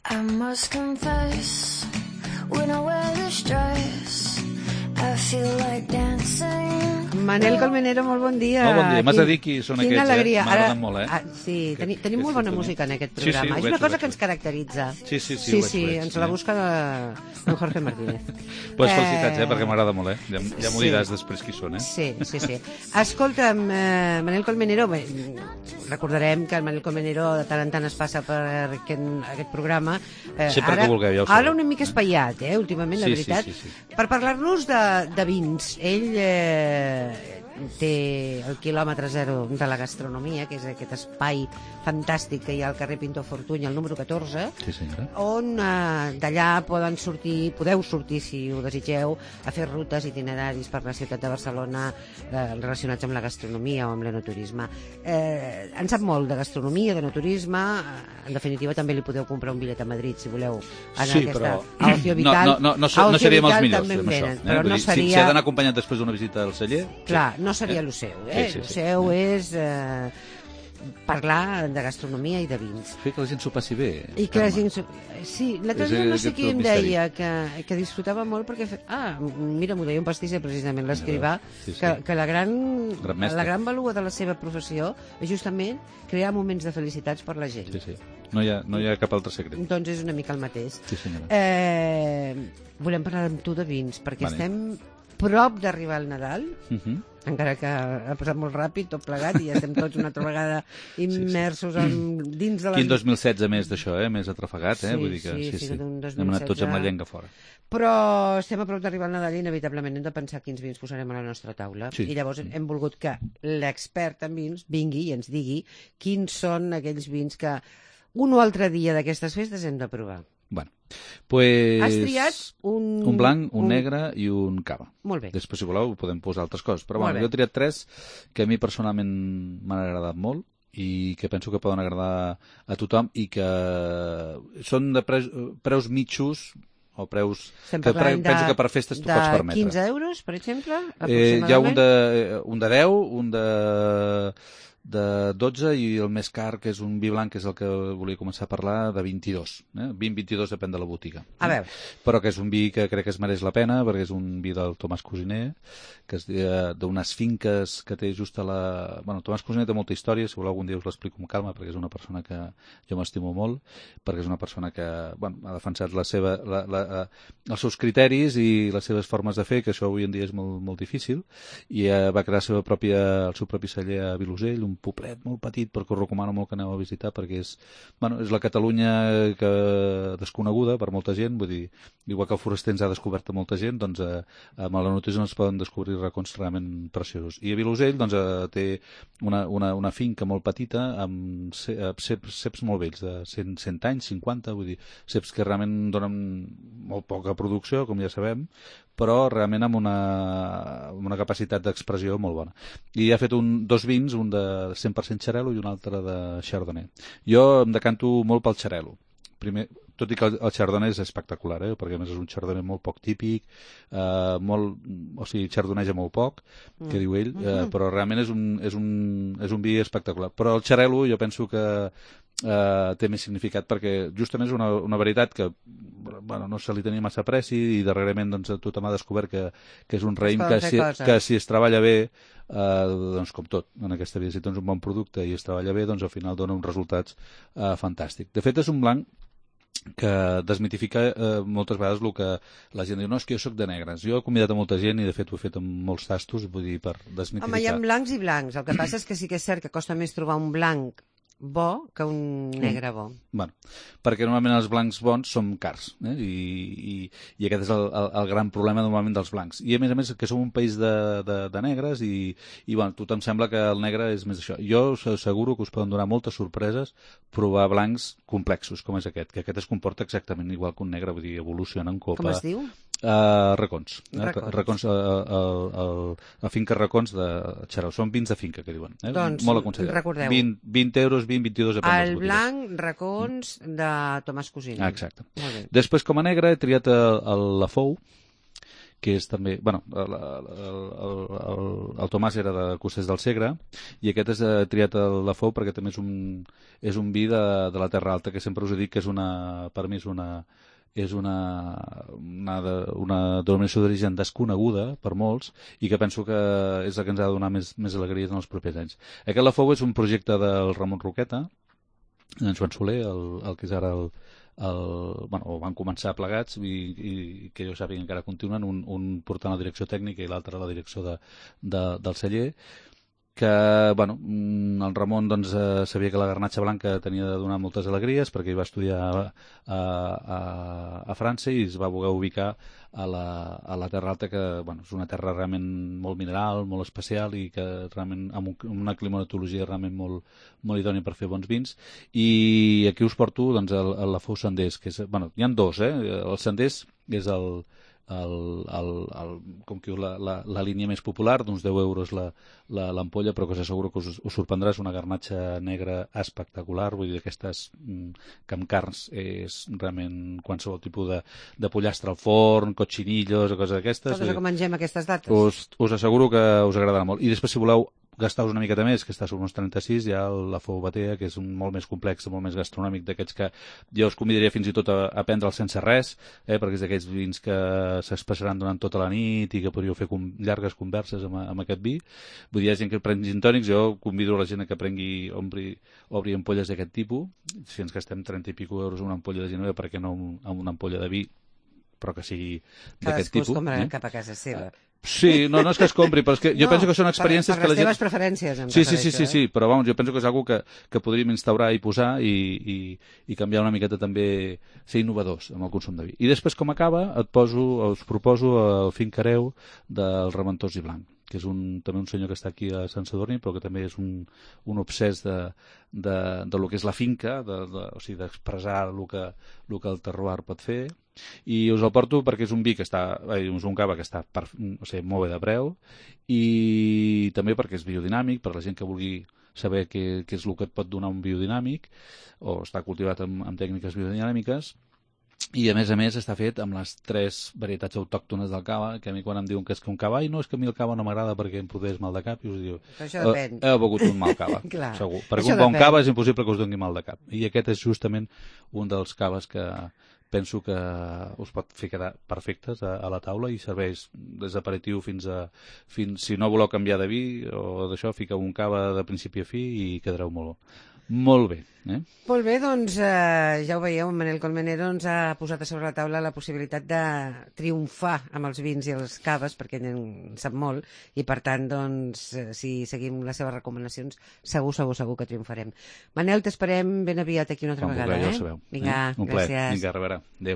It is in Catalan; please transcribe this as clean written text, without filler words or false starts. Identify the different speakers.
Speaker 1: I must confess, when I wear this dress, I feel like dancing.
Speaker 2: Manel Colmenero, molt bon dia.
Speaker 3: Molt bon dia. M'has de dir qui són aquests,
Speaker 2: alegria.
Speaker 3: M'agraden molt,
Speaker 2: Sí, tenim molt bona música en aquest programa. És una cosa que ens caracteritza.
Speaker 3: Sí,
Speaker 2: ens la busca en Jorge Martínez.
Speaker 3: Pues felicitats, perquè m'agrada molt, Ja m'ho diràs després qui són,
Speaker 2: Sí. Escolta'm, Manel Colmenero, recordarem que el Manel Colmenero de tant en tant es passa per aquest programa.
Speaker 3: Sempre que vulgueu, ja ho sabeu.
Speaker 2: Ara una mica espaiat, últimament, la veritat.
Speaker 3: Sí.
Speaker 2: Per parlar-nos de vins. Ell té el quilòmetre zero de la gastronomia, que és aquest espai fantàstic que hi ha al carrer Pintor Fortuny, el número 14, on d'allà podeu sortir, si ho desitgeu, a fer rutes, itineraris per la ciutat de Barcelona relacionats amb la gastronomia o amb l'enoturisme. En sap molt de gastronomia, d'enoturisme. En definitiva, també li podeu comprar un bitllet a Madrid, si voleu.
Speaker 3: Sí, però
Speaker 2: no
Speaker 3: seríem els millors en això.
Speaker 2: Però no seria...
Speaker 3: Si ha d'anar acompanyat després d'una visita al celler...
Speaker 2: Clar, no seria el seu. El seu és parlar de gastronomia i de vins.
Speaker 3: Fer que la gent s'ho passi bé.
Speaker 2: I que la gent... Sí, l'altre dia no sé qui em deia que disfrutava molt perquè... mira, m'ho deia un pastisser, precisament, l'escrivà, que la gran valua de la seva professió és justament crear moments de felicitats per la gent.
Speaker 3: Sí. No hi ha cap altre secret.
Speaker 2: Doncs és una mica el mateix.
Speaker 3: Sí, senyora.
Speaker 2: Volem parlar amb tu de vins, perquè estem prop d'arribar al Nadal, encara que ha passat molt ràpid, tot plegat, i ja estem tots una altra vegada immersos dins de la...
Speaker 3: Quin 2016 més d'això, més atrafegat, vull dir que sí. Hem anat tots amb la llengua fora.
Speaker 2: Però estem a prop d'arribar al Nadal i inevitablement hem de pensar quins vins posarem a la nostra taula. I llavors hem volgut que l'expert en vins vingui i ens digui quins són aquells vins que un o altre dia d'aquestes festes hem de provar.
Speaker 3: Bueno, pues...
Speaker 2: Has triat
Speaker 3: un blanc, un negre i un cava.
Speaker 2: Molt bé.
Speaker 3: Després, si voleu, podem posar altres coses. Però bueno, jo he triat 3 que a mi personalment m'han agradat molt i que penso que poden agradar a tothom i que són de preus mitjos o preus que penso que per festes tu pots permetre.
Speaker 2: De 15 euros, per exemple?
Speaker 3: Hi ha un de 10, un de 12 i el més car, que és un vi blanc, que és el que volia començar a parlar, de 22. 20-22 depèn de la botiga.
Speaker 2: A veure.
Speaker 3: Però que és un vi que crec que es mereix la pena, perquè és un vi del Tomàs Cosiner, que és d'unes finques que té just a la... Bueno, Tomàs Cosiner té molta història, si voleu algun dia us l'explico amb calma, perquè és una persona que jo m'estimo molt, perquè és una persona que ha defensat els seus criteris i les seves formes de fer, que això avui en dia és molt, molt difícil, i va crear el seu propi celler a Vilosell, un poblet molt petit, però que us recomano molt que aneu a visitar, perquè és la Catalunya desconeguda per molta gent, vull dir, igual que el Foraster ens ha descobert a molta gent, doncs amb la notícia es poden descobrir racons realment preciosos. I a Vilosell té una finca molt petita amb ceps molt vells, de 100 anys, 50, vull dir, ceps que realment donen molt poca producció, com ja sabem, però realment amb una capacitat d'expressió molt bona. I ha fet dos vins, un de 100% xarel·lo i un altre de chardonnay. Jo em decanto molt pel xarel·lo. Primer, tot i que el chardonnay és espectacular, perquè a més és un chardonnay molt poc típic, chardonneja molt poc, que diu ell, però realment és un vi espectacular. Però el xarel·lo jo penso que té més significat perquè justament és una varietat que no se li tenia massa preci i darrerament tothom ha descobert que és un raïm que si es treballa bé, doncs com tot en aquesta vida, si tens un bon producte i es treballa bé, doncs al final dona uns resultats fantàstics. De fet és un blanc que desmitifica moltes vegades el que la gent diu, no, és que jo soc de negres. Jo he convidat a molta gent i de fet ho he fet amb molts tastos, vull dir, per desmitificar.
Speaker 2: Home, hi ha blancs i blancs. El que passa és que sí que és cert que costa més trobar un blanc bo que un negre bo.
Speaker 3: Bueno, perquè normalment els blancs bons són cars, i aquest és el gran problema normalment dels blancs. I a més que som un país de negres i bueno, a tothom sembla que el negre és més això. Jo us asseguro que us poden donar moltes sorpreses provar blancs complexos com és aquest, que aquest es comporta exactament igual que un negre, vull dir, evoluciona en copa.
Speaker 2: Com es diu?
Speaker 3: Racons. Racons, la finca Racons de Xarau. Són vins de finca, que diuen.
Speaker 2: Doncs,
Speaker 3: molt aconsellat.
Speaker 2: recordeu.
Speaker 3: 20 euros, 22
Speaker 2: El blanc Racons de Tomàs Cosiner.
Speaker 3: Exacte. Després, com a negre, he triat el Lafou, que és també... Bueno, el Tomàs era de Costers del Segre i aquest és triat a la Fou perquè també és un vi de la Terra Alta, que sempre us he dit que és per mi és una denominació d'origen desconeguda per molts i que penso que és la que ens ha de donar més alegries en els propers anys. Aquest La Fou és un projecte del Ramon Roqueta, en Joan Soler, el que és ara van començar plegats i que jo sàpiga encara continuen, un portant la direcció tècnica i l'altre la direcció del celler, que el Ramon doncs, sabia que la garnatxa blanca tenia de donar moltes alegries perquè ell va estudiar a França i es va voler ubicar a la Terra Alta, que és una terra realment molt mineral, molt especial i que realment amb una climatologia realment molt, molt idònia per fer bons vins. I aquí us porto doncs, la Fou Senders, que és, hi ha dos, el Senders és com que la línia més popular, d'uns 10 euros l'ampolla, però que s'asseguro que us sorprendrà. És una garnatxa negra espectacular, vull dir, aquestes que amb carns és realment qualsevol tipus de pollastre al forn, cochinillos o coses d'aquestes.
Speaker 2: Coses que mengem aquestes dates.
Speaker 3: Us asseguro que us agradarà molt. I després, si voleu gastar-vos una miqueta més, que està sobre uns 36, hi ha la Fou Batea, que és un molt més complex, molt més gastronòmic, d'aquests que jo us convidaria fins i tot a prendre'l sense res, perquè és d'aquells vins que s'espessaran durant tota la nit i que podríeu fer llargues converses amb aquest vi. Vull dir, hi ha gent que pren gin tònics, jo convido la gent a que obri ampolles d'aquest tipus. Si ens gastem 30 i pico euros una ampolla de Genoveva, per què no amb una ampolla de vi, però que sigui d'aquest tipus.
Speaker 2: Cadascú es compra cap a casa seva.
Speaker 3: Sí, no és que es compri, però és que jo penso que són experiències que la gent...
Speaker 2: Per les teves preferències,
Speaker 3: Sí, però és que és una que podríem instaurar i posar i canviar una miqueta també, ser innovadors amb el consum de vi. I després, com acaba, us proposo el Fincareu del Reventós i Blanc, que és també un senyor que està aquí a Sant Sadurní, però que també és un obsès de lo que és la finca, o sigui, d'expressar el que el terroir pot fer. I us el porto perquè és un vi que és un cava que està molt bé de preu, i també perquè és biodinàmic, per la gent que vulgui saber què és el que et pot donar un biodinàmic, o està cultivat amb tècniques biodinàmiques. I a més està fet amb les 3 varietats autòctones del cava, que a mi quan em diuen que és que un cava, no, és que a mi el cava no m'agrada perquè em produeix mal de cap, i us diu, heu begut un mal cava, segur. Perquè un bon cava és impossible que us doni mal de cap. I aquest és justament un dels caves que penso que us pot fer quedar perfectes a la taula i serveix des d'aperitiu fins si no voleu canviar de vi o d'això, fiqueu un cava de principi a fi i quedareu molt bé.
Speaker 2: Molt bé, doncs ja ho veieu, en Manel Colmenero ens ha posat a sobre la taula la possibilitat de triomfar amb els vins i els caves, perquè ell en sap molt, i per tant, doncs, si seguim les seves recomanacions, segur que triomfarem. Manel, t'esperem ben aviat aquí una altra vegada.
Speaker 3: Ja ho sabeu.
Speaker 2: Vinga,
Speaker 3: un plaer.
Speaker 2: gràcies.
Speaker 3: Vinga, a reveure. Adéu.